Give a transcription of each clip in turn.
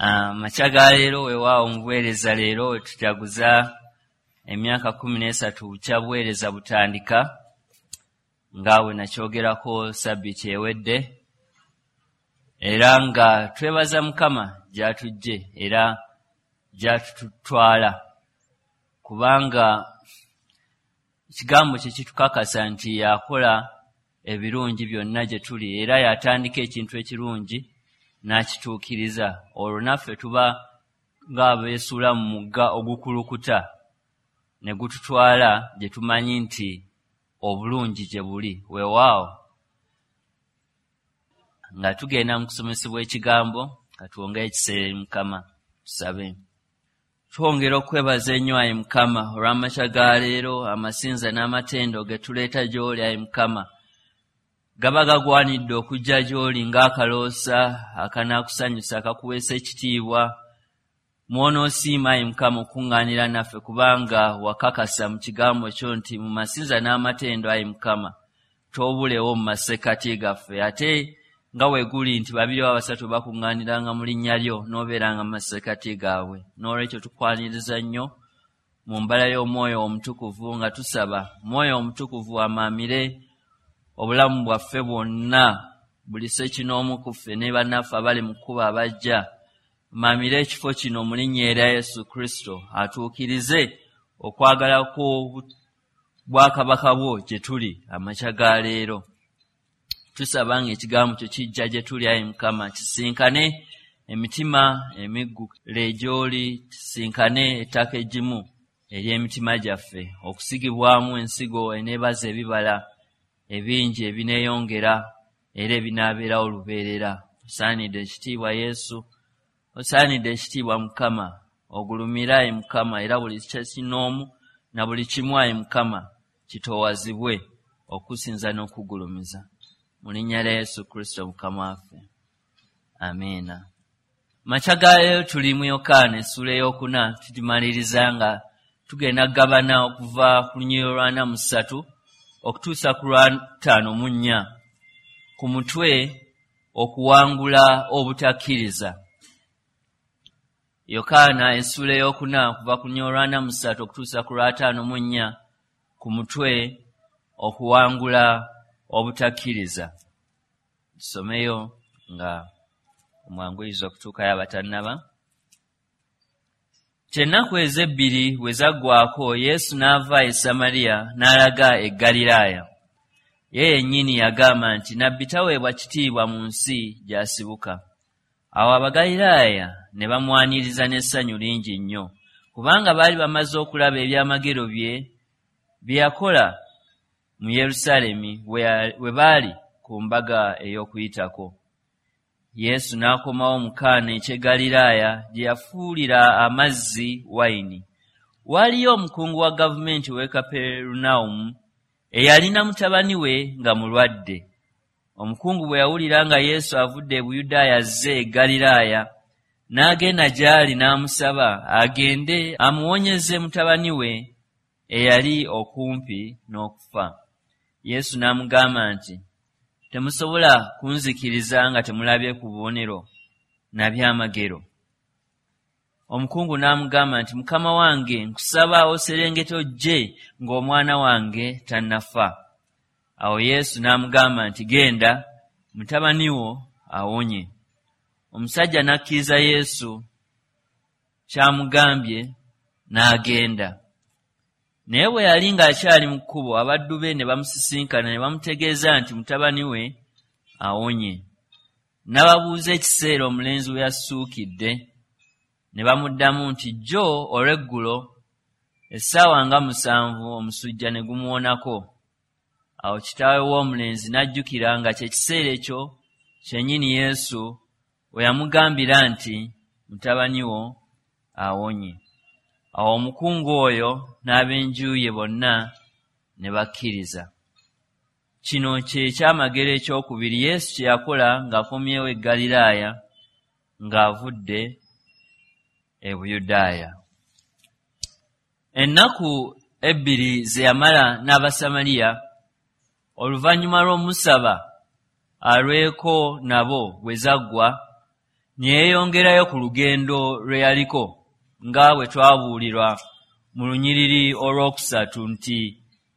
Amakya ga leero weewaawo mu buweereza leero we tujaguza emyaka 13 bukya buweereza butandika, nga bwe nakyogerako sabbiiti ewedde, era nga twebaza Mukama gy'atuggye era gy'atutwala, kubanga ekigambo kye kitukakasa nti yakola ebirungi byonna gye tuli, era yatandika ekintu ekirungi n'akituukiriza. Olwo naffe tuba ng'abeesuula mu mugga ogukulukuta ne gututwala gye tumanyi nti obulungi gye buli. Weewaawo nga tugenda mu kusomesebwa ekigambo, katwongere ekiseera eri Mukama, tusabe. Twongera okwebaza ennyo ayi Mukama olw'amakya ga leero, amasinza n'amatendo ge tuleeta gy'oli ayi Mukama gaba gagwanidde okujja gy'oli ng'akaloosa akanaakusanyusa akakuweesa ekitiibwa. Mw'onoosiima ayi Mukama okukuŋŋaanira naffe, kubanga wakakasa mu kigambo kyo nti mu masinza n'amatendo ayi Mukama toobulewo mu masekkati gaffe, ate nga bwe guli nti babiri oba basatu bakuŋŋaaniranga mu linnya lyo n'obeeranga mu masekkati gaabwe. N'olwekyo tukwaniriza nnyo mu mbala y'Omwoyo Omutukuvu, nga tusaba Mwoyo Omutukuvu amaamire obulamu bwaffe bwonna, buli ssekinoomu ku ffe ne bannaffe abali mu kkubo abajja, maamire ekifo kino mu linnya erya Yesu Kristo, atuukirize okwagala kw'obwakabaka bwo gye tuli amakya ga leero. Tusaba ng'ekigambo kyo kijja gye tuli ayi Mukama, kisinkane emitima emiggule gy'oli, kisinkane ettaka eggimu ery'emitima gyaffe, okusigibwamu ensigo eneebaza ebibala ebingi ebineeyongera era ebinaabeerawo lubeerera. Osaanidde ekitiibwa Yesu, osaanidde ekitiibwa Mukama, ogulumire ayi Mukama, era buli kyekinoomu na buli kimu ayi Mukama kitoowazibwe okusinza n'okugulumiza. Mu linnya lya Yesu Kristo Mukama waffe, amiina. Makya ga leero tuli mu Yokaana essuula ey'okuna, tugimaliriza nga tugenda kugabana okuva ku lunyiriri olw'ana mu ssatu okutuusa ku lwa 54, ku mutwe okuwangula obutakkiriza. Yokaana essuula ey'okuna okuva ku lunyiriri olwa 43 okutuusa ku lwa 54, ku mutwe okuwangula obutakkiriza. Tusomeyo nga omwanguyiriza okutuukayo abatannaba. Kyennaku ezebbiri bwe zaggwaako, Yesu n'ava e Samaliya n'alaga e Ggaliraaya. Ye yennyini yagamba nti nabbi taweebwa kitiibwa mu nsi gy'asibuka. Awo Abagaliraaya ne bamwaniriza n'essanyu lingi nnyo, kubanga baali bamaze okulaba ebyamagero bye bye yakola mu Yerusaalemi we baali ku mbaga ey'Okuyitako. Yesu n'akomawo mu Kaana eky'e Ggaliraaya gye yafuulira amazzi wayini. Waaliyo omukungu wa gavumenti ow'e Kaperunawumu eyalina mutabani we nga mulwadde. Omukungu bwe yawulira nga Yesu avudde e Buyudaaya azze e Ggaliraaya, n'agenda gy'ali n'amusaba agende amuwonyeze mutabani we eyali okumpi n'okufa. Yesu n'amugamba nti, temusobola kunzikiriza nga temulabye ku bubonero na byamagero. Omukungu n'amugamba nti, Mukama wange, nkusaba oserengete ojje ng'omwana wange tannafa. Awo Yesu n'amugamba nti, genda, mutabani wo awonye. Omusajja n'akkiriza Yesu ky'amugambye n'agenda. Naye bwe yali ng'akyali mu kkubo, abaddu be ne bamusisinkana ne bamutegeeza nti mutabani we awonye. N'ababuuza ekiseera omulenzi we yassuukidde, ne bamuddamu nti jjo olw'eggulo essaawa nga 7 omusujja ne gumuwonako. Awo kitaawe w'omulenzi n'ajjukira nga kye kiseera ekyo kyennyini Yesu we yamugambira nti mutabani wo awonye. Awo omukungu oyo n'ab'enju ye bonna ne bakkiriza. Kino kye kyamagero ekyokubiri Yesu kye yakola ng'akomyewo e Ggaliraaya ng'avudde e Buyudaaya. Ennaku 2 ze yamala n'Abasamaliya oluvannyuma lw'omusaba alweko nabo bwe zaggwa, Ne yeeyongerayo ku lugendo lwe yaliko, nga bwe twabuulirwa mu lunyiriri olwokusatu nti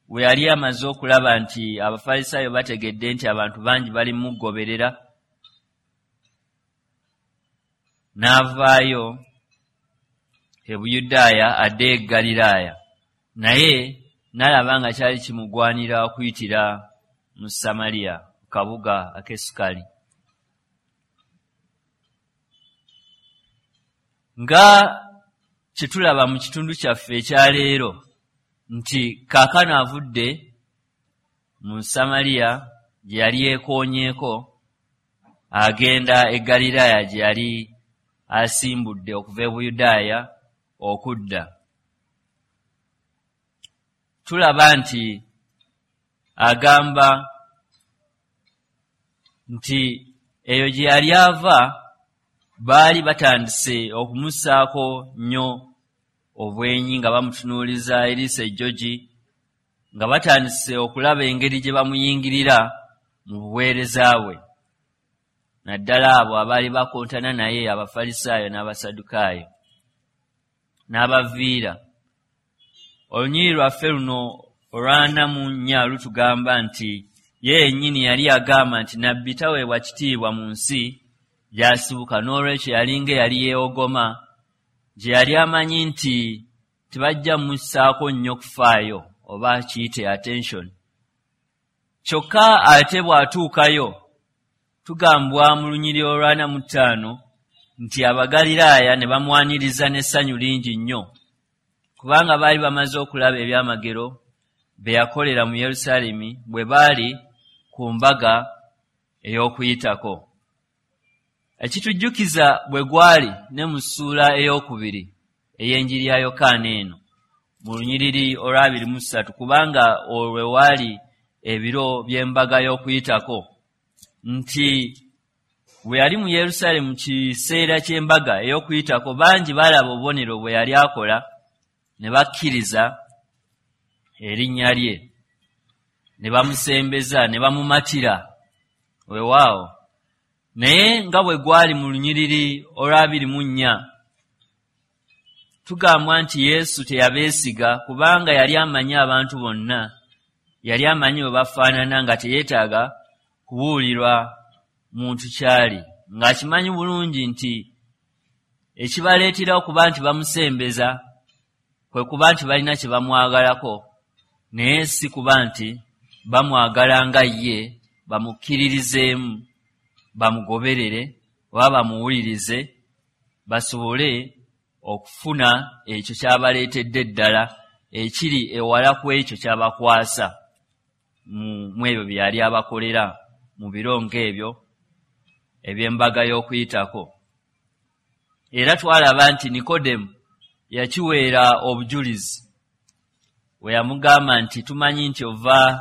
bwe yali amaze okulaba nti Abafalisaayo bategedde nti abantu bangi bali mugoberera, n'avaayo e Buyudaaya adde e Ggaliraaya, naye n'alaba nga kyali kimugwanira okuyitira mu Samaliya, ku kabuga ak'e Sukali. Nga kye tulaba mu kitundu kyaffe ekya leero nti kaakano avudde mu Samaliya gye yali yeekoonyeeko, agenda e Ggaliraaya gye yali asimbudde okuva e Buyudaaya okudda. Tulaba nti agamba nti eyo gye yali ava baali batandise okumussaako nnyo obwenyi, nga bamutunuuliza eriiso ejjogi, nga batandise okulaba engeri gye bamuyingirira mu buweereza bwe, naddala abo abaali bakontana naye, Abafalisaayo n'Abasaddukaayo, n'abaviira. Olunyiriri lwaffe luno olwa 44 lutugamba nti ye yennyini yali agamba nti nabbi taweebwa kitiibwa mu nsi gy'asibuka, n'olwekyo yalinga eyali yeewogoma gye yali amanyi nti tebajja mussaako nnyo kufaayo oba kiyite attention. Kyokka ate bw'atuukayo, tugambwa mu lunyiriri olwa 45 nti Abagaliraaya ne bamwaniriza n'essanyu lingi nnyo, kubanga baali bamaze okulaba ebyamagero bye yakolera mu Yerusaalemi bwe baali ku mbaga ey'Okuyitako. Ekitujjukiza bwe gwali ne mu ssuula ey'okubiri ey'enjiri ya Yokaana eno mu lunyiriri olwa 23, kubanga olwo waali ebiro by'embaga y'Okuyitako, nti bwe yali mu Yerusaalemi mu kiseera ky'embaga ey'Okuyitako, bangi baalaba obubonero bwe yali akola ne bakkiriza erinnya lye, ne bamusembeza ne bamumatira. Weewaawo, naye nga bwe gwali mu lunyiriri olwa 24, tugambwa nti Yesu teyabeesiga, kubanga yali amanyi abantu bonna, yali amanyi bwe bafaanana, nga teyeetaaga kubuulirwa muntu kyali, ng'akimanyi bulungi nti ekibaleetera okuba nti bamusembeza kwe kuba nti balina kye bamwagalako, naye si kuba nti bamwagala nga ye, bamukkiririzeemu, bamugoberere oba bamuwulirize basobole okufuna ekyo kyabaleetedde ddala ekiri ewala ku ekyo kyabakwasa mu ebyo bye yali abakolera mu biro ng'ebyo eby'embaga y'Okuyitako. Era twalaba nti Nikodemu yakiweera obujulizi we yamugamba nti tumanyi nti ova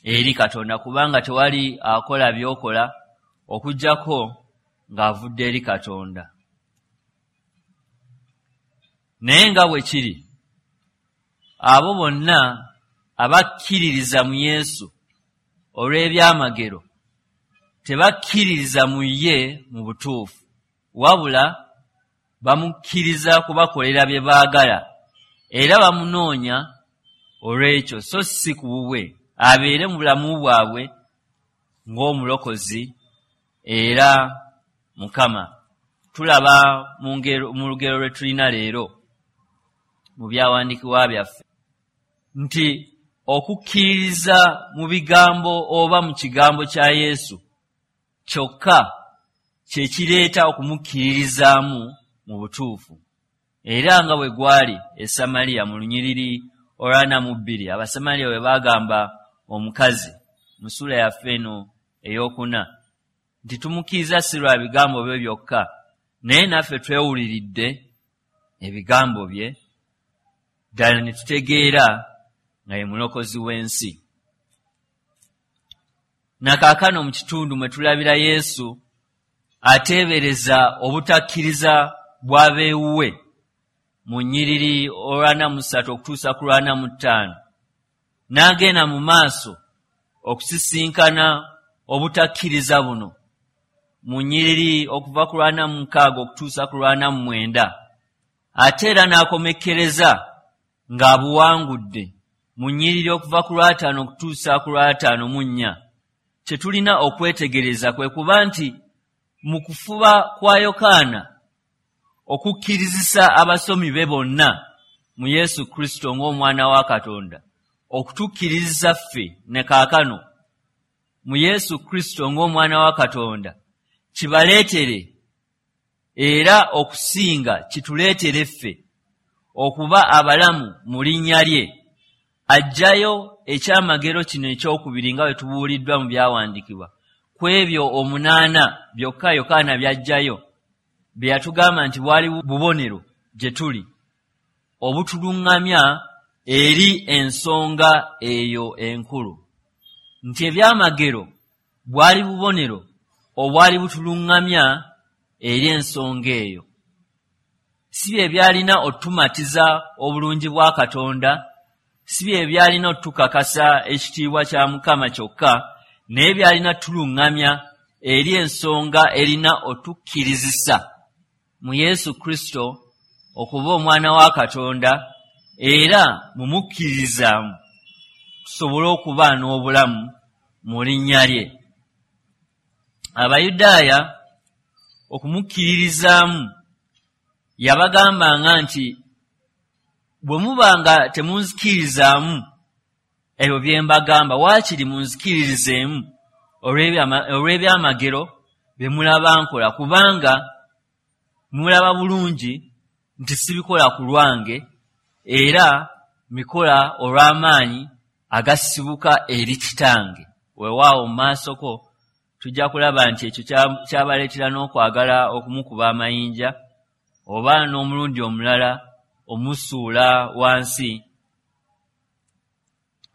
eri Katonda, kubanga tewali akola by'okola okuggyako ng'avudde eri Katonda. Naye nga bwe kiri, abo bonna abakkiririza mu Yesu olw'ebyamagero tebakkiririza mu ye mu butuufu, wabula bamukkiriza kubakolera bye baagala, era bamunoonya olw'ekyo, so si ku bubwe abeere mu bulamu bwabwe ng'omulokozi era Mukama. Tulaba mu lugero lwe tulina leero mu byawandiikibwa byaffe nti okukkiririza mu bigambo oba mu kigambo kya Yesu kyokka kye kireeta okumukkiririzaamu mu butuufu. Era nga bwe gwali e Samaliya mu lunyiriri olwa 42, Abasamaliya bwe baagamba omukazi mu ssuula yaffe eno ey'okuna nti tumukkiriza si lwa bigambo bye byokka, naye naffe twewuliridde ebigambo bye ddala ne tutegeera nga ye mulokozi w'ensi. Nakaakano mu kitundu mwe tulabira Yesu ateebereza obutakkiriza bw'abeewuwe mu nnyiriri olwa 43 okutuusa ku lwa 45, n'agenda mu maaso okusisinkana obutakkiriza buno mu nnyiriri okuva ku 46 okutuusa ku 49, ate era n'akomekkereza ng'abuwangudde mu nnyiriri okuva ku 50 okutuusa ku 54, kye tulina okwetegereza kwe kuba nti mu kufuba kwa Yokaana okukkirizisa abasomi be bonna mu Yesu Kristo ng'omwana wa Katonda, okutukkirizisa ffe ne kaakano mu Yesu Kristo ng'omwana wa Katonda, kibaleetere era okusinga kituleetere ffe okuba abalamu mu linnya lye, aggyayo ekyamagero kino ekyokubiri nga bwe tubuuliddwa mu byawandiikibwa ku ebyo 8 byokka Yokaana by'aggyayo bye yatugamba nti bwali bubonero gye tuli obutuluŋŋamya eri ensonga eyo enkulu, nti ebyamagero bwali bubonero obwali butuluŋŋamya eri ensonga eyo. Si bye byalina otumatiza obulungi bwa Katonda, si bye byalina otukakasa ekitiibwa kya Mukama kyokka, naye byalina tuluŋŋamya eri ensonga erina otukkirizisa mu Yesu Kristo okuba omwana wa Katonda, era mumukkirizaamu tusobole okuba n'obulamu mu linnya lye. Abayudaaya okumukkiririzaamu yabagambanga nti bwe muba nga temunzikirizaamu ebyo bye mbagamba, waakiri munzikiririzeemu olw'ebyamagero bye mulaba nkola, kubanga mulaba bulungi nti sibikola ku lwange, era mikola olw'amaanyi agasibuka eri Kitange. Weewaawo mu maasoko tujja kulaba nti ekyo kyabaleetera n'okwagala okumukuba amayinja oba n'omulundi omulala omusuula wansi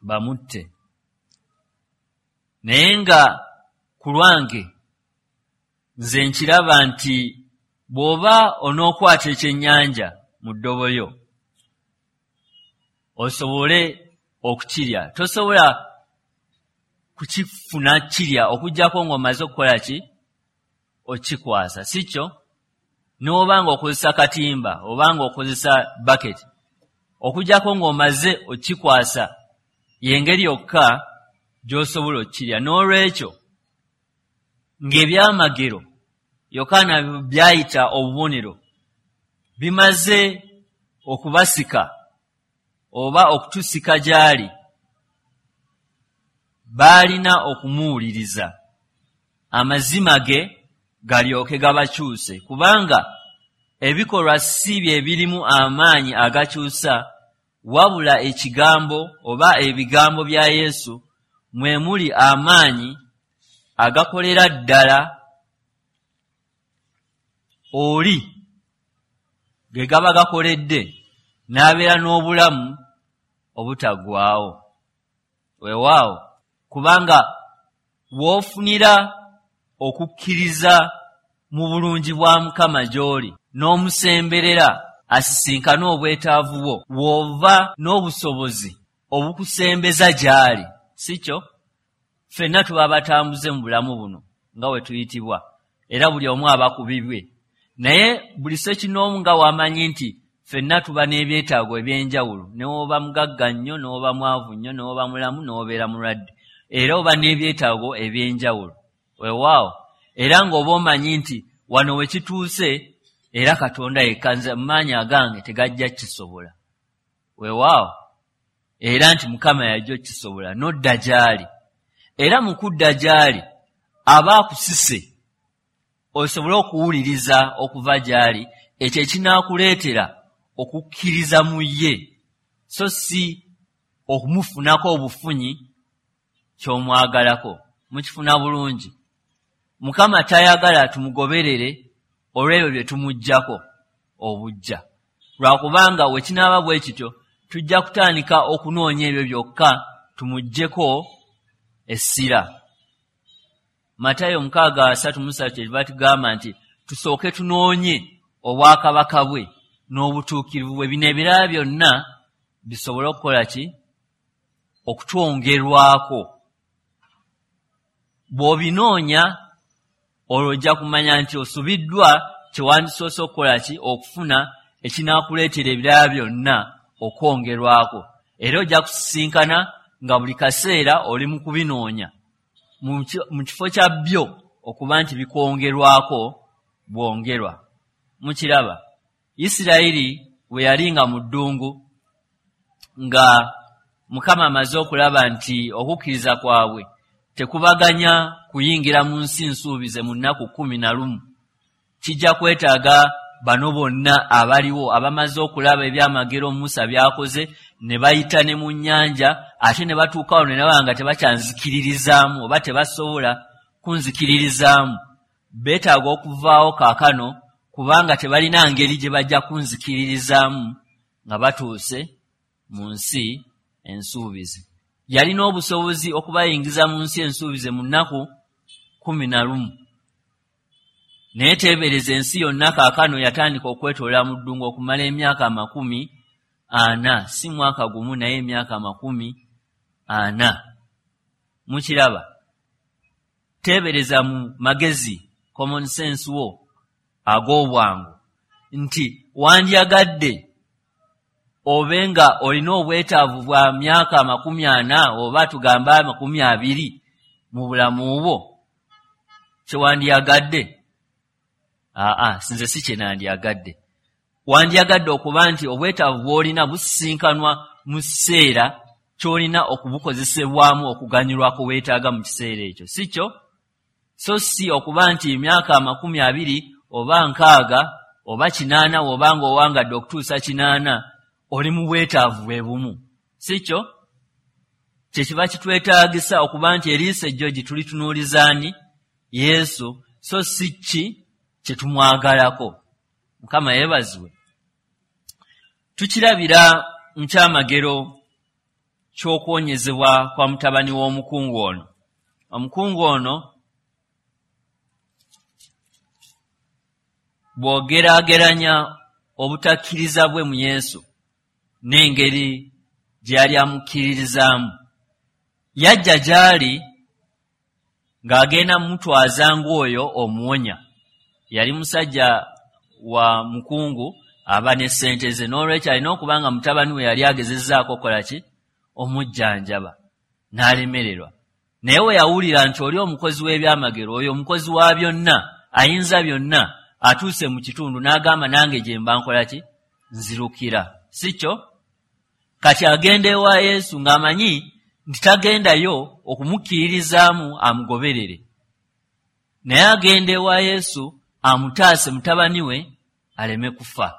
bamutte. Naye nga ku lwange nze nkiraba nti bw'oba onookwata ekyennyanja mu ddobo lyo osobole okukirya, tosobola kukifuna kirya okuggyako ng'omaze okukola ki? Okikwasa, si kyo? N'oba ng'okozesa katimba oba ng'okozesa baketi, okuggyako ng'omaze okikwasa y'engeri yokka gy'osobola okukirya. N'olwekyo ng'ebyamagero Yokaana byayita obubonero bimaze okubasika oba okutusika gy'ali, baalina okumuwuliriza amazima ge galyoke gabakyuse, kubanga ebikolwa si bye birimu amaanyi agakyusa, wabula ekigambo oba ebigambo bya Yesu mwe muli amaanyi agakolera ddala oli ge gaba gakoledde n'abeera n'obulamu obutaggwaawo. Weewaawo, kubanga w'ofunira okukkiriza mu bulungi bwa Mukama gy'oli n'omusemberera asisinkane obwetaavu bwo, w'ova n'obusobozi obukusembeza gy'ali, si kyo? Ffenna tuba batambuze mu bulamu buno nga bwe tuyitibwa, era buli omu aba ku bibwe. Naye buli ssekinnoomu nga w'amanyi nti ffenna tuba n'ebyetaago eby'enjawulo, ne w'oba mugagga nnyo, ne w'oba mwavu nnyo, ne w'oba mulamu, ne w'obeera mulwadde, era oba n'ebyetaago eby'enjawulo. Weewaawo, era ng'oba omanyi nti wano we kituuse, era Katonda yekka nze mu maanyi agange tegajja kisobola. Weewaawo, era nti Mukama yajja okukisobola, n'odda gy'ali. Era mu kudda gy'ali aba akusise osobole okuwuliriza okuva gy'ali ekyo ekinaakuleetera okukkiriza mu ye, so si okumufunako obufunyi ky'omwagalako. Mukifuna bulungi. Mukama tayagala tumugoberere olw'ebyo bye tumuggyako obujja, lwakubanga we kinaaba bwe kityo tujja kutandika okunoonya ebyo byokka tumuggyeko essira. Matayo 6:33 kyetuva tugamba nti tusooke tunoonye obwakabaka bwe n'obutuukirivu bwe, bino ebirala byonna bisobole okukola ki? Okutwongerwako. Bw'obinoonya Olwo ojja kumanya nti osubiddwa kyewandisoose okukola ki, okufuna ekinaakuleetera ebirala byonna okwongerwako. Era ojja kusisinkana nga buli kaseera oli mu kubinoonya mu kifo kya byo okuba nti bikwongerwako bwongerwa. Mukiraba, Isirayiri bwe yali nga mu ddungu, nga Mukama amaze okulaba nti okukkiriza kwabwe tekubaganya kuyingira mu nsi nsuubize mu nnaku 11, kijja kwetaaga bano bonna abaliwo abamaze okulaba ebyamagero Musa by'akoze, ne bayita ne mu nnyanja, ate ne batuukawo ne baba nga tebakyanzikiririzaamu oba tebasobola kunzikiririzaamu. Beetaaga okuvaawo kaakano, kubanga tebalina ngeri gye bajja kunzikiririzaamu nga batuuse mu nsi ensuubize. Yalina obusobozi okubayingiza mu nsi ensuubize mu nnaku 11, naye teebereza ensi yonna kaakano yatandika okwetoloola mu ddungu okumala emyaka 40, si mwaka gumu naye emyaka 40. Mukiraba, teebereza mu magezi, common sense wo ag'obwangu, nti wandyagadde obe nga olina obwetaavu bwa myaka 40 oba tugamba 20 mu bulamu bwo. Kyewandyagadde? Aa, sinze si kye nandyagadde. Wandyagadde okuba nti obwetaavu bw'olina busisinkanwa mu kiseera ky'olina okubukozesebwamu okuganyulwako weetaaga mu kiseera ekyo, si kyo? So si okuba nti emyaka 20 oba 60 oba 80, oba ng'owangadde okutuusa 80 oli mu bwetaavu bwe bumu, si kyo? Kye kiba kitwetaagisa okuba nti eriiso ejjogi tulitunuulizaani Yesu, so si ki kye tumwagalako. Mukama yeebazibwe. Tukirabira mu kyamagero ky'okuwonyezebwa kwa mutabani w'omukungu ono. Omukungu ono bw'ogeraageranya obutakkiriza bwe mu Yesu n'engeri gye yali amukkiririzaamu, yajja gy'ali ng'agenda mutwaza ng'oyo omuwonya. Yali musajja wa mukungu aba ne ssente ze, n'olwekyo alina okuba nga mutabani we yali agezezzaako okukola ki, omujjanjaba, n'alemererwa. Naye we yawulira nti oli omukozi w'ebyamagero, oyo omukozi wa byonna, ayinza byonna, atuuse mu kitundu, n'agamba nange gye mba nkola ki, nzirukira, si kyo? Kati agenda ewa Yesu ng'amanyi nti tagendayo okumukkiririzaamu amugoberere, naye agenda ewa Yesu amutaase mutabani we aleme kufa.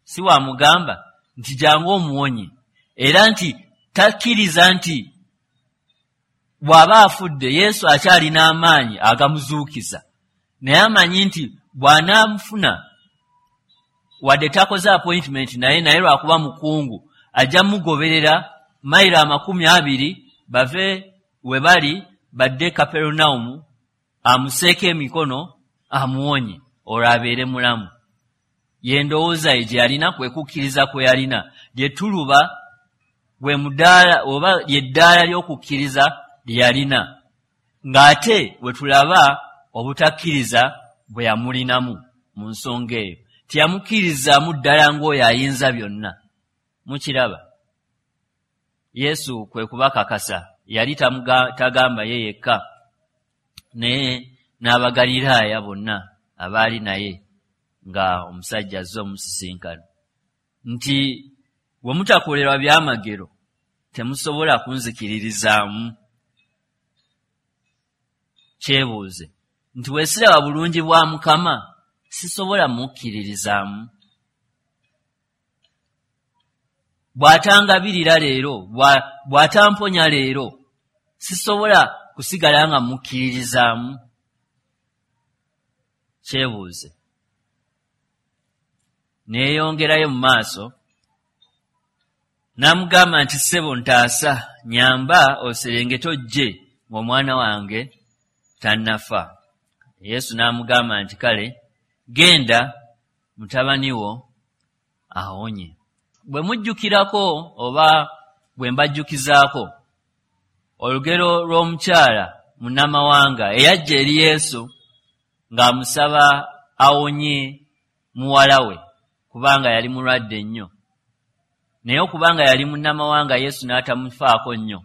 Si wamugamba nti jangu omuwonye, era nti takkiriza nti bw'aba afudde Yesu akyalina amaanyi agamuzuukiza, naye amanyi nti bw'anaamufuna wadde takoze appointment naye, naye lwakuba mukungu ajja mugoberera mayiro 20 bave we bali badde Kaperunawumu, amuseeko emikono amuwonye olwo abeere mulamu. Ye ndowooza ye gye yalina, kwe kukkiriza kwe yalina, lye tuluba gwe mudaala oba ly'eddaala ly'okukkiriza lye yalina, ng'ate we tulaba obutakkiriza bwe yamulinamu mu nsonga eyo. Teyamukkirizaamu ddala ng'oyo ayinza byonna. Mukiraba, Yesu kwe kubakakasa, yali tagamba ye yekka, naye n'Abagaliraaya bonna abaali naye nga omusajja azze omusisinkana, nti bwe mutakolerwa byamagero temusobola kunzikiririzaamu. Kyebuuze nti bwe siraba bulungi bwa Mukama sisobola mukkiririzaamu. Bw'atangabirira leero, bw'atamponya leero, sisobola kusigala nga mukkiririzaamu. Kyebuuze. Neeyongerayo mu maaso n'amugamba nti ssebo ntaasa, nyamba oserengete ojje ng'omwana wange tannafa. Yesu n'amugamba nti kale genda, mutabani wo awonye. Bwe mujjukirako oba bwe mbajjukizaako olugero lw'omukyala munnamawanga eyajja eri Yesu ng'amusaba awonye muwala we kubanga yali mulwadde nnyo. Naye okubanga yali munnamawanga Yesu n'atamufaako nnyo.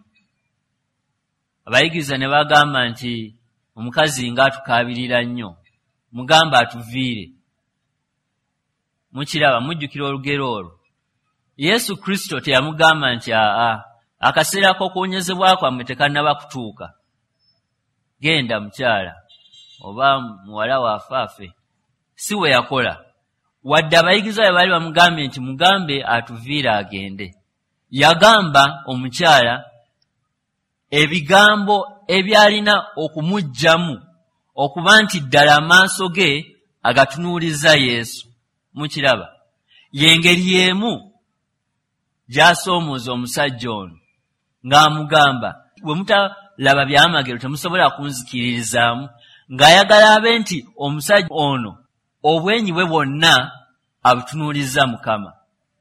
Abayigiriza ne bagamba nti omukazi ng'atukaabirira nnyo, mugamba atuviire. Mukiraba, mujjukira olugero olwo. Yesu Kristo teyamugamba nti aa, akaseera k'okuwonyezebwa kwammwe tekannaba kutuuka. Genda mukyala oba muwala waffe afe. Si we yakola. Wadde abayigiriza bwe baali bamugambye nti mugambe atuviire agende. Yagamba omukyala ebigambo ebyalina okumuggyamu okuba nti ddala amaaso ge agatunuuliza Yesu. Mukiraba, y'engeri y'emu gy'asoomooza omusajja ono ng'amugamba bwe mutalaba byamagero temusobola kunzikiririzaamu, ng'ayagala abe nti omusajja ono obwenyi bwe bwonna abutunuuliza Mukama.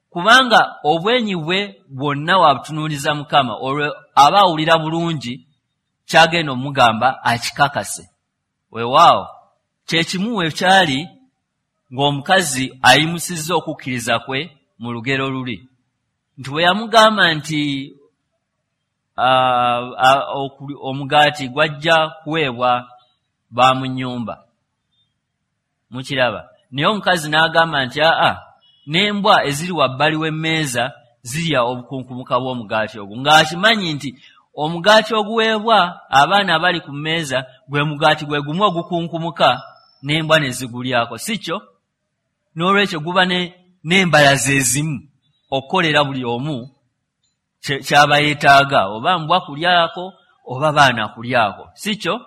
Kubanga obwenyi bwe bwonna wabutunuuliza Mukama, olwo aba awulira bulungi ky'agenda omugamba akikakase. Weewaawo kye kimu we kyali ng'omukazi ayimusizza okukkiriza kwe mu lugero luli. Nti bwe yamugamba nti omugaati gwajja kuweebwa ba mu nnyumba. Mukiraba. Naye omukazi n'agamba nti aa, n'embwa eziri wabbali w'emmeeza zirya obukunkumuka bw'omugaati ogwo. Ng'akimanyi nti omugaati oguweebwa abaana abali ku mmeeza gwe mugaati gwe gumu ogukunkumuka n'embwa ne zigulyako, si kyo? N'olwekyo guba n'embalaza ezimu okukolera buli omu ky'aba yeetaaga, oba mbwa kulyako oba baana kulyako, si kyo?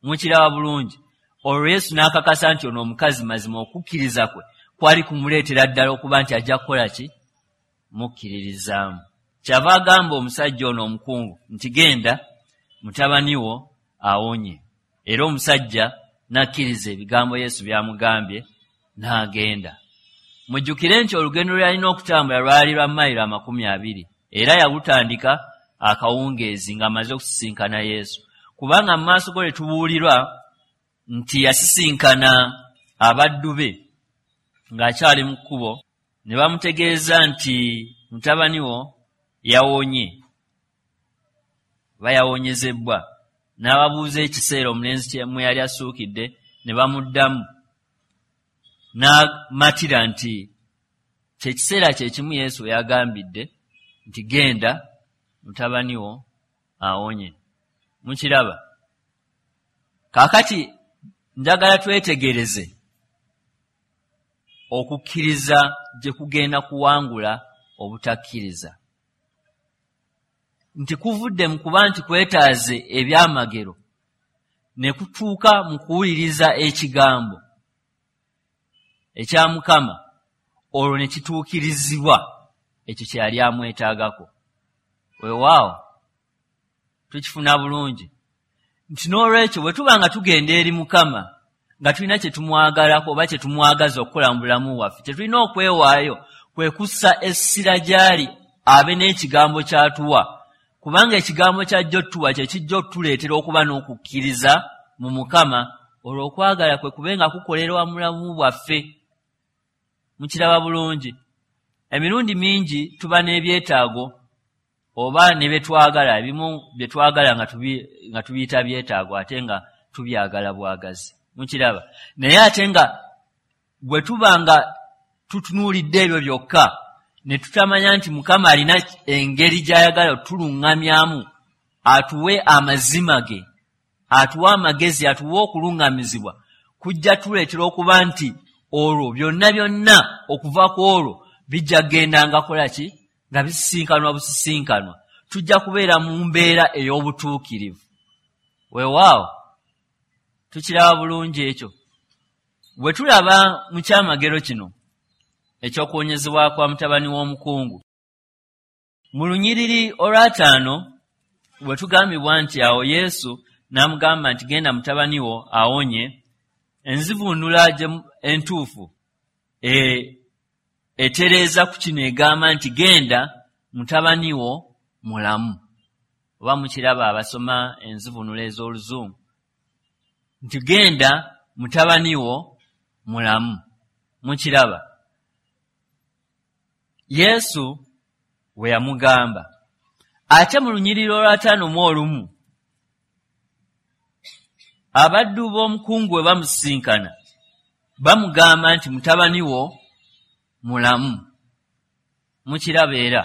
Mukiraba bulungi. Olwo Yesu n'akakasa nti ono omukazi mazima okukkiriza kwe kwali kumuleetera ddala okuba nti ajja kukola ki? Mukkiririzaamu. Kyava agamba omusajja ono omukungu nti genda mutabani wo awonye. Era omusajja n'akkiriza ebigambo Yesu by'amugambye n'agenda. Mujjukire nti olugendo lwe yalina okutambula lwali lwa mayiro 20 era yalutandika akawungeezi ng'amaze okusisinkana Yesu. Kubanga mu maaso go lwe tubuulirwa nti yasisinkana abaddu be ng'akyali mu kkubo ne bamutegeeza nti mutabani wo yawonye oba yawonyezebbwa. N'ababuuza ekiseera omulenzi mwe yali asuukidde ne bamuddamu n'amatira nti kye kiseera kye kimu Yesu we yagambidde nti genda mutabani wo awonye. Mukiraba. Kaakati njagala twetegereze okukkiriza gye kugenda kuwangula obutakkiriza. Nti kuvudde mu kuba nti kwetaaze ebyamagero ne kutuuka mu kuwuliriza ekigambo ekya Mukama, olwo ne kituukirizibwa ekyo kye yali amwetaagako. Weewaawo tukifuna bulungi nti n'olwekyo bwe tuba nga tugenda eri Mukama nga tulina kye tumwagalako oba kye tumwagaza okukola mu bulamu bwaffe, kye tulina okwewaayo kwe kussa essira gy'ali abe n'ekigambo ky'atuwa, kubanga ekigambo ky'ajja otuwa kye kijja otuleetera okuba n'okukkiriza mu Mukama, olwo okwagala kwe kube nga kukolerwa mu bulamu bwaffe. Mukiraba bulungi. Emirundi mingi tuba n'ebyetaago oba ne bye twagala, ebimu bye twagala nga tubiyita byetaago ate nga tubyagala bwagazi. Mukiraba. Naye ate nga bwe tuba nga tutunuulidde ebyo byokka ne tutamanya nti Mukama alina engeri gy'ayagala otuluŋŋamyamu, atuwe amazima ge, atuwe amagezi, atuwe okuluŋŋamizibwa, kujja tuleetera okuba nti olwo byonna byonna okuva ku olwo bijja kugendanga kola ki? Nga bisisinkanwa busisinkanwa. Tujja kubeera mu mbeera ey'obutuukirivu. Weewaawo tukiraba bulungi ekyo. Bwe tulaba mu kyamagero kino ekyokuwonyezebwa kwa mutabani w'omukungu, mu lunyiriri olwataano bwe tugambibwa nti awo Yesu n'amugamba nti genda mutabani wo awonye, enzivuunula entuufu etereeza ku kino egamba nti genda mutabani wo mulamu. Oba mukiraba abasoma enzivuunula ez'oluzungu nti genda Mutabani wo mulamu. Mukiraba? Yesu we yamugamba. Ate mu lunyiriri olw'ataano mu olumu, abaddu b'omukungu bwe bamusisinkana, bamugamba nti mutabani wo mulamu. Mukiraba era?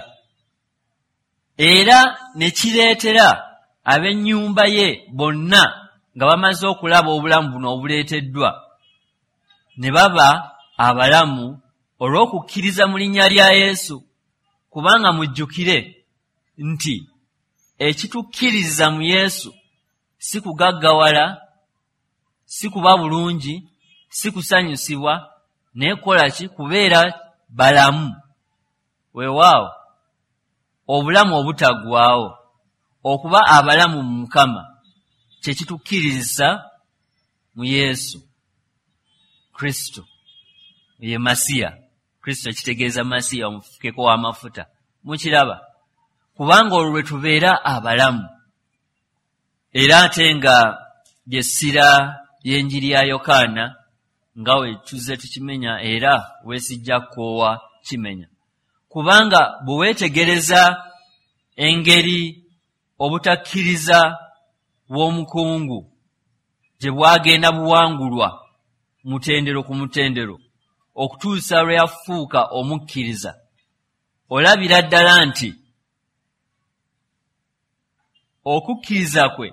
Era ne kireetera ab'ennyumba ye bonna nga bamaze okulaba obulamu buno obuleeteddwa, ne baba abalamu olw'okukkiriza mu linnya lya Yesu. Kubanga mujjukire nti ekitukkiriza mu Yesu si kugaggawala, si kuba bulungi, si kusanyusibwa, naye kukola ki? Kubeera balamu. Weewaawo, obulamu obutaggwaawo, okuba abalamu mu Mukama kye kitukkiriza mu Yesu Kristo, ye Masiya. Kristo kitegeeza Masiya, omufukeko w'amafuta. Mukiraba? Kubanga olwo lwe tubeera abalamu. Era ate nga ly'essira ly'enjiri ya Yokaana, nga we tuzze tukimenya era weesijja kukoowa kimenya. Kubanga bwe weetegereza engeri obutakkiriza bw'omukungu gye bwagenda buwangulwa mutendero ku mutendero okutuusa lwe yafuuka omukkiriza, olabira ddala nti okukkiriza kwe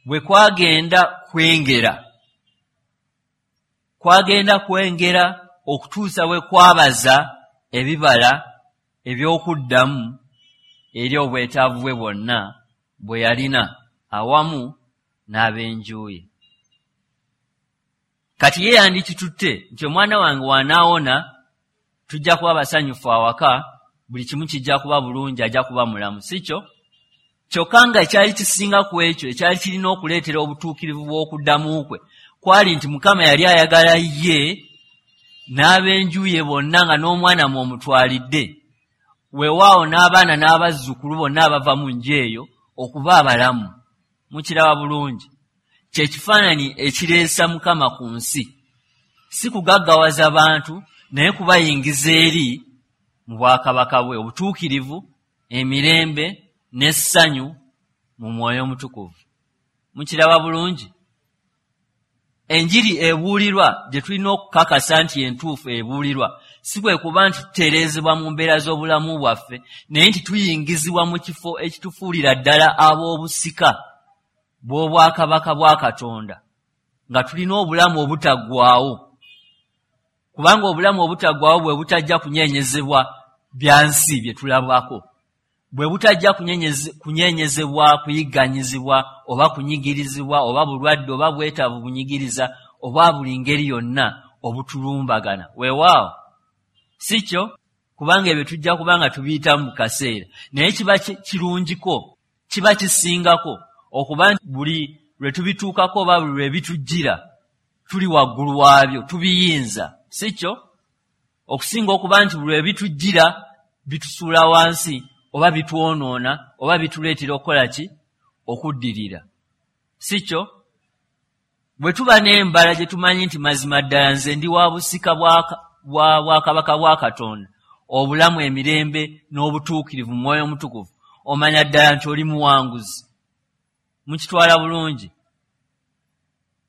bwe kwagenda kwengera okutuusa bwe kwabaza ebibala eby'okuddamu eri obwetaavu bwe bwonna bwe yalina awamu n'ab'enju ye. Kati ye yandikitutte nti omwana wange w'anaawona tujja kuba basanyufu awaka, buli kimu kijja kuba bulungi, ajja kuba mulamu, si kyo? Kyokka nga ekyali kisinga ku ekyo, ekyali kirina okuleetera obutuukirivu bw'okuddamu kwe, kwali nti Mukama yali ayagala ye n'ab'enju ye bonna nga n'omwana mw'omutwalidde, weewaawo n'abaana n'abazzukulu bonna abava mu nju eyo okuba abalamu. Mukiraba bulungi? Kye kifaananyi ekireesa Mukama ku nsi, si kugaggawaza bantu, naye kubayingiza eri mu bwakabaka bwe, obutuukirivu, emirembe n'essanyu mu Mwoyo Omutukuvu. Mukiraba bulungi? Enjiri ebuulirwa gye tulina okukakasa nti entuufu ebuulirwa, si kwe kuba nti tutereezebwa mu mbeera z'obulamu bwaffe, naye nti tuyingizibwa mu kifo ekitufuulira ddala ab'obusika bw'obwakabaka bwa Katonda, nga tulina obulamu obutaggwaawo. Kubanga obulamu obutaggwaawo bwe butajja kunyeenyezebwa bya nsi bye tulabako, bwe butajja kunyeenyezebwa kuyigganyizibwa oba kunyigirizibwa oba bulwadde oba bwetaavu bunyigiriza oba buli ngeri yonna obutulumbagana. Weewaawo, si kyo? Kubanga ebyo tujja kuba nga tubiyitamu mu kaseera, naye kiba kirungiko, kiba kisingako okuba nti buli lwe tubituukako oba buli lwe bitujjira tuli waggulu waabyo, tubiyinza, si kyo? Okusinga okuba nti buli lwe bitujjira bitusuula wansi oba bitwonoona oba bituleetera okukola ki? Okuddirira, si kyo? Bwe tuba n'embala gye tumanyi nti mazima ddala nze ndi wa busika bwakabaka bwa Katonda, obulamu, emirembe n'obutuukirivu mu Mwoyo Omutukuvu, omanya ddala nti oli muwanguzi. Mukitwala bulungi?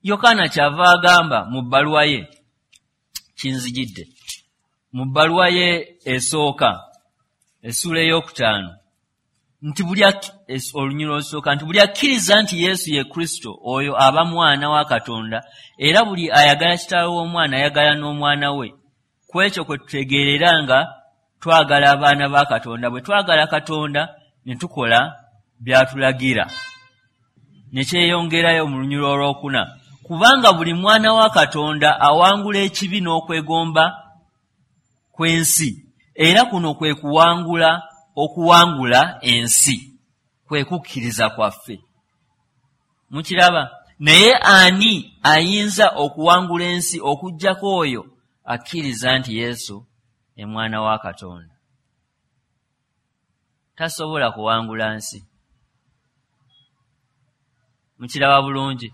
Yokaana kyava agamba mu bbaluwa ye, kinzijidde, mu bbaluwa ye esooka, essuula ey'okutaano, nti buli olunyiriri olusooka nti buli akkiriza nti Yesu ye Kristo oyo aba mwana wa Katonda, era buli ayagala kitaawe w'omwana ayagala n'omwana we. Ku ekyo kwe tutegeerera nga twagala abaana ba Katonda, bwe twagala Katonda ne tukola by'atulagira. Ne kyeyongerayo mu lunyiriri olwokuna, kubanga buli mwana wa Katonda awangula ekibi n'okwegomba kw'ensi, era kuno kwe kuwangula okuwangula ensi, kwe kukkiriza kwaffe. Mukiraba? Naye ani ayinza okuwangula ensi okuggyako oyo akkiriza nti Yesu ye mwana wa Katonda? Tasobola kuwangula nsi. Mukiraba bulungi?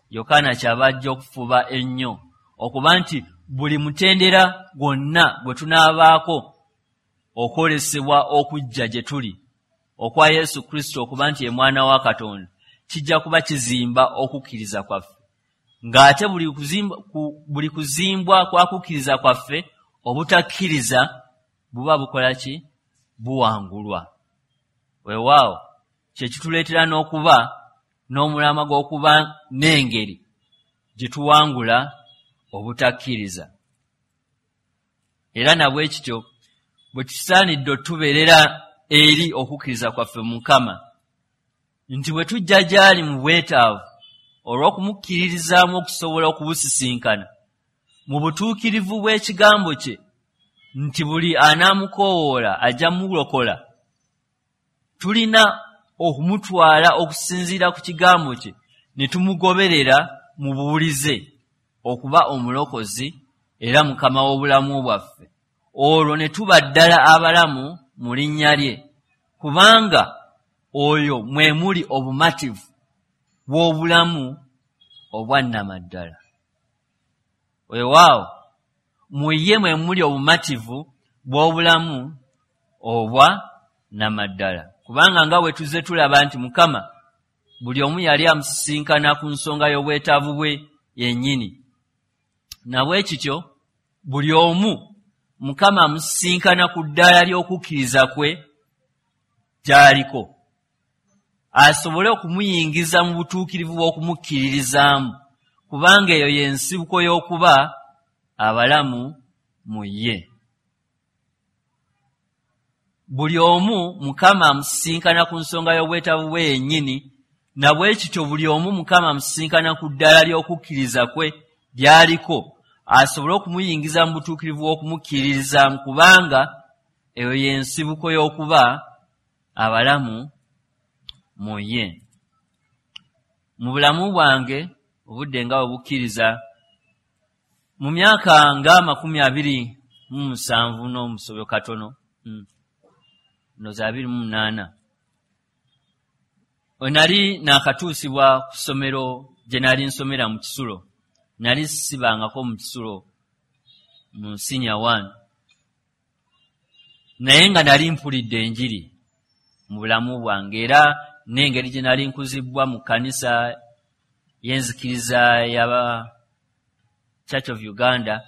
Yokaana kyava ajja okufuba ennyo okuba nti buli mutendera gwonna gwe tunaabaako okwolesebwa okujja gye tuli okwa Yesu Kristo okuba nti ye mwana wa Katonda, kijja kuba kizimba okukkiriza kwaffe, ng'ate buli kuzimbwa kwa kukkiriza kwaffe obutakkiriza buba bukola ki? Buwangulwa. Weewaawo kye kituleetera n'okuba n'omulamwa gw'okuba n'engeri gye tuwangula obutakkiriza. Era nabwe kityo bwe tusaanidde otubeerera eri okukkiriza kwaffe mu Mukama, nti bwe tujja gy'ali mu bwetaavu olw'okumukkiririzaamu okusobola okubusisinkana mu butuukirivu bw'ekigambo kye, nti buli anaamukoowoola ajja mulokola, tulina okumutwala okusinziira ku kigambo kye ne tumugoberera mu buwulize okuba omulokozi era Mukama w'obulamu bwaffe, olwo ne tuba ddala abalamu mu linnya lye, kubanga oyo mwe muli obumativu bw'obulamu obwannamaddala. Weewaawo mu ye mwe muli obumativu bw'obulamu obwa namaddala, kubanga nga bwe tuzze tulaba nti Mukama buli omu yali amusisinkana ku nsonga y'obwetaavu bwe yennyini, nabwe kityo buli omu Mukama amusisinkana ku ddaala ly'okukkiriza kwe gy'aliko, asobole okumuyingiza mu butuukirivu bw'okumukkiririzaamu, kubanga eyo y'ensibuko y'okuba abalamu mu ye. Buli omu Mukama amusisinkana ku nsonga y'obwetaavu bwe yennyini, nabwe kityo buli omu Mukama amusisinkana ku ddaala ly'okukkiriza kwe ly'aliko, asobole okumuyingiza mu butuukirivu bw'okumukkiririzaamu, kubanga eyo y'ensibuko y'okuba abalamu mu ye. Mu bulamu bwange obudde nga bwe bukkiriza, mu myaka nga 27 n'omusobyo katono, ndowooza 28, we nali naakatuusibwa ku ssomero gye nali nsomera mu kisulo. Nali sibangako mu kisulo mu senior 1, naye nga nali mpulidde enjiri mu bulamu bwange, era n'engeri gye nali nkuzibwa mu kkanisa y'enzikiriza ya Church of Uganda,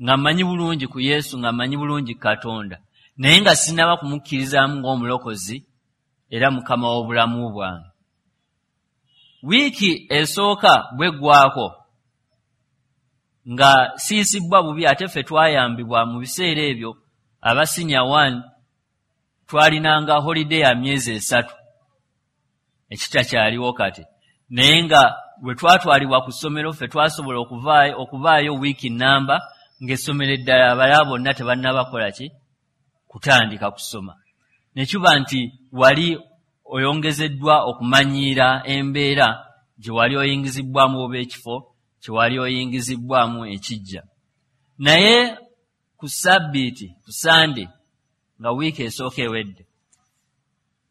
nga mmanyi bulungi ku Yesu, nga mmanyi bulungi Katonda, naye nga sinnaba kumukkirizaamu ng'omulokozi era Mukama w'obulamu bwange. Wiiki esooka bw'eggwako nga siisibwa bubi, ate ffe twayambibwa mu biseera ebyo aba senior 1 twalinanga holiday ya myezi 3, ekitakyaliwo kati, naye nga bwe twatwalibwa ku ssomero ffe twasobola okuvaayo wiiki namba ng'essomero eddala abalala bonna tebannabakola ki kutandika kusoma, ne kiba nti wali oyongezeddwa okumanyiira embeera gye wali oyingizibwamu oba ekifo kye wali oyingizibwamu ekijja. Naye ku Ssabbiiti, ku Sande, nga wiiki esooka ewedde,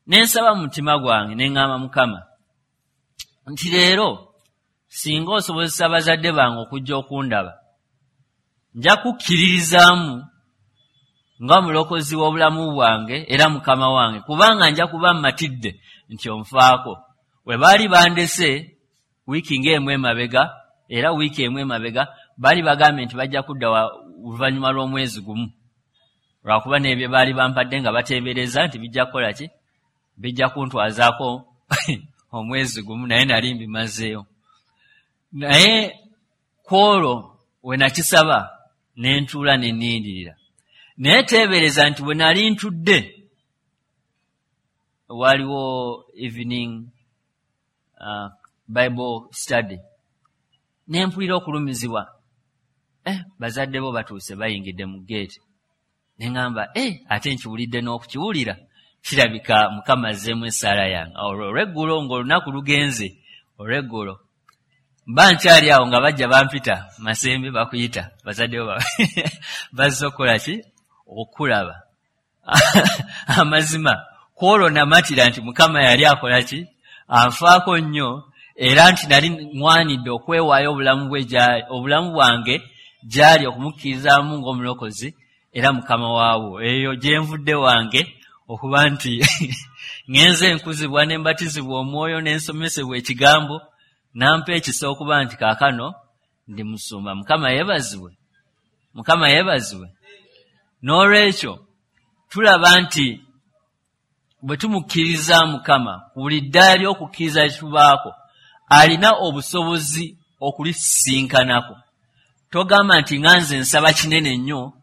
ne nsaba mu mutima gwange ne ŋŋamba Mukama nti leero singa osobozesa abazadde bange okujja okundaba, nja kukkiririzaamu nga mulokozi w'obulamu bwange era Mukama wange, kubanga nja kuba mmatidde nti onfaako. We baali bandese wiiki ng'emu emabega, era wiiki emu emabega baali bagambye nti bajja kudda oluvannyuma lw'omwezi gumu, lwakuba n'ebyo baali bampadde nga bateebereza nti bijja kukola ki, bijja kuntwazaako omwezi gumu, naye nali mbimazeeyo. Naye kwolwo we nakisaba ne ntuula ne nnindirira, naye teebereza nti bwe nali ntudde waliwo evening Bible study, ne mpulira okulumizibwa, bazadde bo batuuse bayingidde mu ggeeti, ne ŋŋamba ate nkiwulidde n'okukiwulira, kirabika Mukama azzeemu essaala yange. Olwo olw'eggulo ng'olunaku lugenze, olw'eggulo mba nkyali awo nga bajja bampita, Masembe bakuyita, bazadde bo bazze okukola ki, okulaba. Amazima kwolwo namatira nti Mukama yali akola ki, anfaako nnyo, Era nti nali ŋwanidde okwewaayo obulamu bwange gy'ali okumukkirizaamu ng'omulokozi era mukama waabwo. Eyo gye nvudde wange okuba nti ŋŋenze nkuzibwa ne mbatizibwa omwoyo ne nsomesebwa ekigambo, nampa ekisa okuba nti kaakano ndi musumba. Mukama yeebazibwe. Mukama yeebazibwe. N'olwekyo tulaba nti bwe tumukkiriza Mukama ku buli ddaala ly'okukkiriza lye tubaako, alina obusobozi okulisinkanako. Togamba nti nga nze nsaba kinene nnyo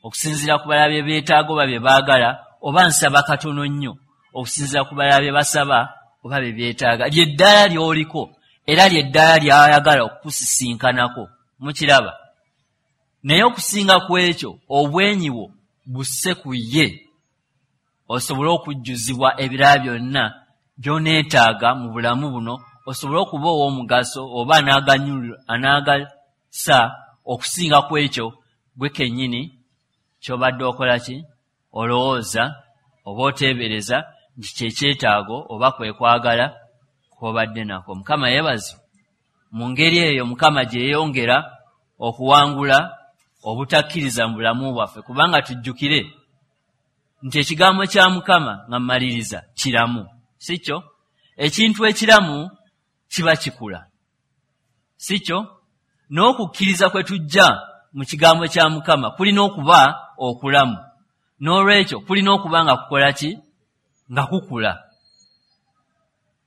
okusinziira ku balala bye beetaaga oba bye baagala, oba nsaba katono nnyo okusinziira ku balala bye basaba oba bye beetaaga. Lye ddaala ly'oliko era lye ddaala ly'ayagala okukusisinkanako. Mukiraba? Naye okusinga ku ekyo, obwenyi bwo busse ku ye osobole okujjuzibwa ebirala byonna by'oneetaaga mu bulamu buno, osobole okuba ow'omugaso oba anaagasa okusinga ku ekyo gwe kennyini ky'obadde okola ki? Olowooza oba oteebereza nti kye kyetaago oba kwe kwagala kw'obadde nako. Mukama yeebazibwe. Mu ngeri eyo Mukama gye yeeyongera okuwangula obutakkiriza mu bulamu bwaffe, kubanga tujjukire nti ekigambo kya Mukama nga mmaliriza kiramu, si kyo? Ekintu ekiramu kiba kikula, si kyo? N'okukkiriza kwe tujja mu kigambo kya Mukama kulina okuba okulamu. N'olwekyo kulina okuba nga kukola ki? Nga kukula.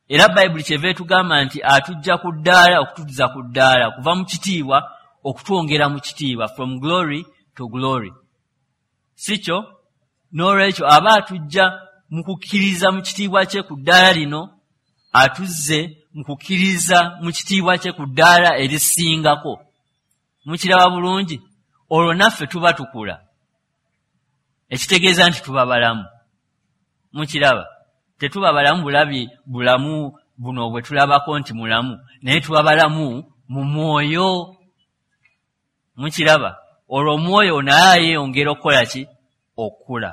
Era Bayibuli kyeva etugamba nti atujja ku ddaala okututuza ku ddaala, kuva mu kitiibwa okutwongera mu kitiibwa, from glory to glory, si kyo? N'olwekyo aba atujja mu kukkiriza mu kitiibwa kye ku ddaala lino, atuzze mu kukkiriza mu kitiibwa kye ku ddaala erisingako. Mukiraba bulungi? Olwo naffe tuba tukula, ekitegeeza nti tuba balamu. Mukiraba? Tetuba balamu bulabi bulamu buno bwe tulabako nti mulamu, naye tuba balamu mu mwoyo. Mukiraba? Olwo omwoyo naye yeeyongera okukola ki? Okukula,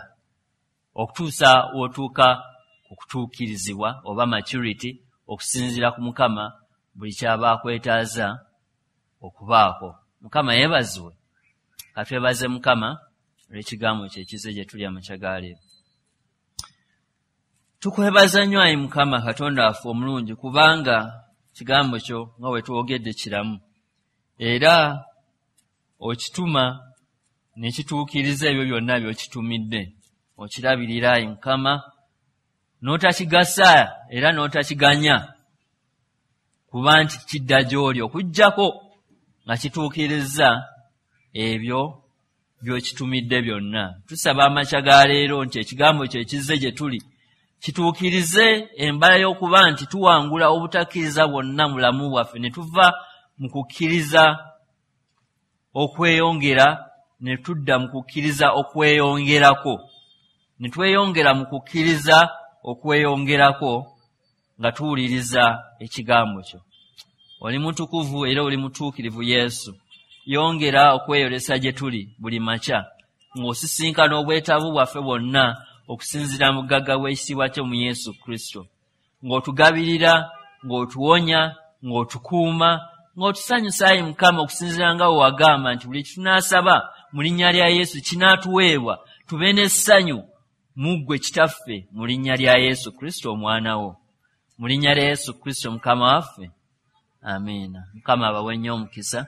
okutuusa w'otuuka ku kutuukirizibwa oba maturity, okusinziira ku Mukama buli ky'aba akwetaaza okubaako. Mukama yeebazibwe. Katwebaze Mukama olw'ekigambo kye ekize gye tuli amakya ga leero. Tukwebaza nnyo ayi Mukama Katonda waffe omulungi, kubanga kigambo kyo nga bwe twogedde kiramu, era okituma ne kituukiriza ebyo byonna by'okitumidde. Okirabirira ayi Mukama, n'otakigasa era n'otakiganya kuba nti kidda gy'oli, okuggyako nga kituukiriza ebyo by'okitumidde byonna. Tusaba amakya ga leero nti ekigambo kyo ekizze gye tuli kituukirize embala y'okuba nti tuwangula obutakkiriza bwonna mu bulamu bwaffe, ne tuva mu kukkiriza okweyongera ne tudda mu kukkiriza okweyongerako, ne tweyongera mu kukkiriza okweyongerako nga tuwuliriza ekigambo kyo. Oli mutukuvu era oli mutuukirivu Yesu. Yongera okweyolesa gye tuli buli makya ng'osisinkana obwetaavu bwaffe bwonna okusinziira mu bugagga bw'ekitiibwa kyo mu Yesu Kristo, ng'otugabirira, ng'otuwonya, ng'otukuuma, ng'otusanyusa ayi Mukama, okusinziira nga bwe wagamba nti buli kitunaasaba mu linnya lya Yesu kinaatuweebwa, tube n'essanyu mu ggwe Kitaffe, mu linnya lya Yesu Kristo omwana wo. Mu linnya lya Yesu Kristo Mukama waffe, amiina. Mukama abawe nnyo omukisa.